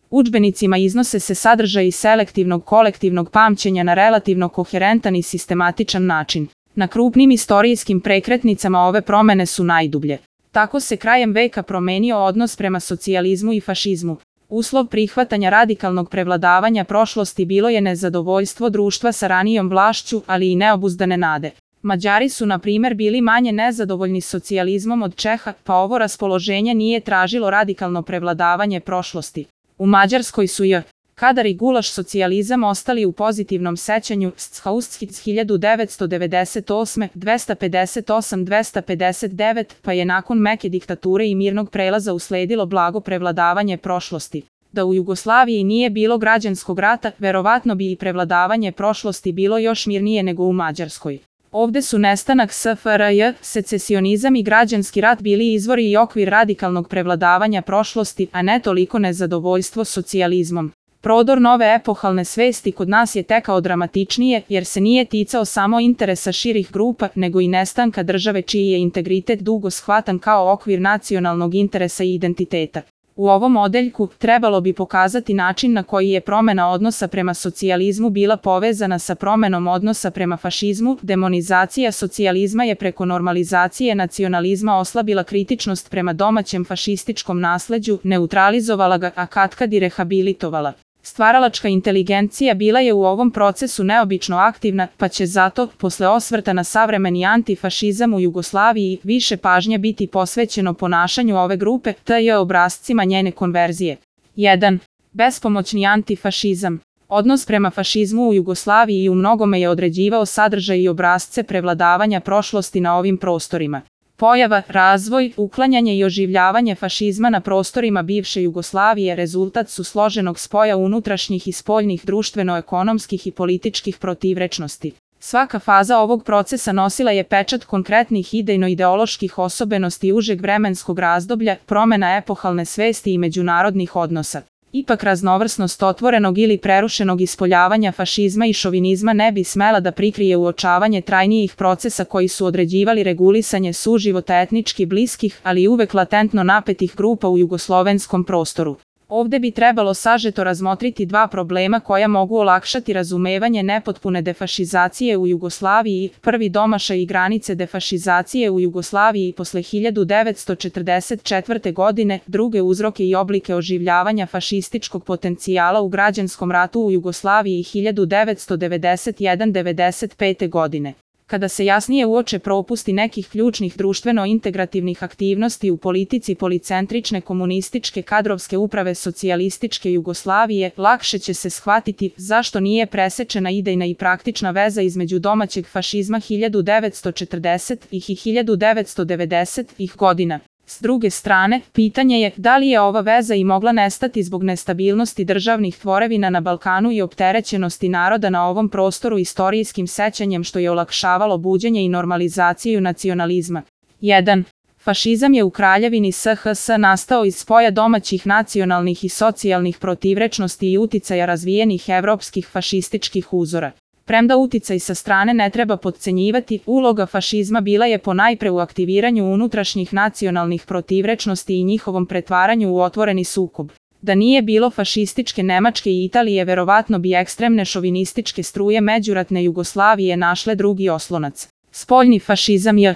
Udžbenicima iznose se sadržaji selektivnog kolektivnog pamćenja na relativno koherentan i sistematičan način. Na krupnim istorijskim prekretnicama ove promene su najdublje. Tako se krajem veka promenio odnos prema socijalizmu i fašizmu. Uslov prihvatanja radikalnog prevladavanja prošlosti bilo je nezadovoljstvo društva sa ranijom vlašću, ali i neobuzdane nade. Mađari su, na primjer, bili manje nezadovoljni socijalizmom od Čeha, pa ovo raspoloženje nije tražilo radikalno prevladavanje prošlosti. U Mađarskoj su Kadar i gulaš socijalizam ostali u pozitivnom sećanju Schausthitz 1998, 258-259, pa je nakon meke diktature i mirnog prelaza usledilo blago prevladavanje prošlosti. Da u Jugoslaviji nije bilo građanskog rata, verovatno bi i prevladavanje prošlosti bilo još mirnije nego u Mađarskoj. Ovde su nestanak SFRJ, secesionizam i građanski rat bili izvori i okvir radikalnog prevladavanja prošlosti, a ne toliko nezadovoljstvo socijalizmom. Prodor nove epohalne svesti kod nas je tekao dramatičnije, jer se nije ticao samo interesa širih grupa, nego i nestanka države čiji je integritet dugo shvatan kao okvir nacionalnog interesa i identiteta. U ovom odeljku trebalo bi pokazati način na koji je promena odnosa prema socijalizmu bila povezana sa promenom odnosa prema fašizmu. Demonizacija socijalizma je preko normalizacije nacionalizma oslabila kritičnost prema domaćem fašističkom nasleđu, neutralizovala ga, a katkad i rehabilitovala. Stvaralačka inteligencija bila je u ovom procesu neobično aktivna, pa će zato, posle osvrta na savremeni antifašizam u Jugoslaviji, više pažnje biti posvećeno ponašanju ove grupe, te obrascima njene konverzije. 1. Bespomoćni antifašizam. Odnos prema fašizmu u Jugoslaviji i u mnogome je određivao sadržaj i obrasce prevladavanja prošlosti na ovim prostorima. Pojava, razvoj, uklanjanje i oživljavanje fašizma na prostorima bivše Jugoslavije rezultat su složenog spoja unutrašnjih i spoljnih društveno-ekonomskih i političkih protivrečnosti. Svaka faza ovog procesa nosila je pečat konkretnih idejno-ideoloških osobenosti užeg vremenskog razdoblja, promena epohalne svesti i međunarodnih odnosa. Ipak raznovrsnost otvorenog ili prerušenog ispoljavanja fašizma i šovinizma ne bi smela da prikrije uočavanje trajnijih procesa koji su određivali regulisanje suživota etnički bliskih, ali uvek latentno napetih grupa u jugoslovenskom prostoru. Ovde bi trebalo sažeto razmotriti dva problema koja mogu olakšati razumevanje nepotpune defašizacije u Jugoslaviji, prvi domašaj i granice defašizacije u Jugoslaviji posle 1944. godine, druge uzroke i oblike oživljavanja fašističkog potencijala u građanskom ratu u Jugoslaviji 1991-95. godine. Kada se jasnije uoče propusti nekih ključnih društveno-integrativnih aktivnosti u politici policentrične komunističke kadrovske uprave socijalističke Jugoslavije, lakše će se shvatiti zašto nije presečena idejna i praktična veza između domaćeg fašizma 1940-ih i 1990-ih godina. S druge strane, pitanje je da li je ova veza i mogla nestati zbog nestabilnosti državnih tvorevina na Balkanu i opterećenosti naroda na ovom prostoru istorijskim sećanjem što je olakšavalo buđenje i normalizaciju nacionalizma. 1. Fašizam je u Kraljevini SHS nastao iz spoja domaćih nacionalnih i socijalnih protivrečnosti i uticaja razvijenih evropskih fašističkih uzora. Premda uticaj sa strane ne treba potcenjivati, uloga fašizma bila je ponajpre u aktiviranju unutrašnjih nacionalnih protivrečnosti i njihovom pretvaranju u otvoreni sukob. Da nije bilo fašističke Nemačke i Italije, verovatno bi ekstremne šovinističke struje međuratne Jugoslavije našle drugi oslonac. Spoljni fašizam je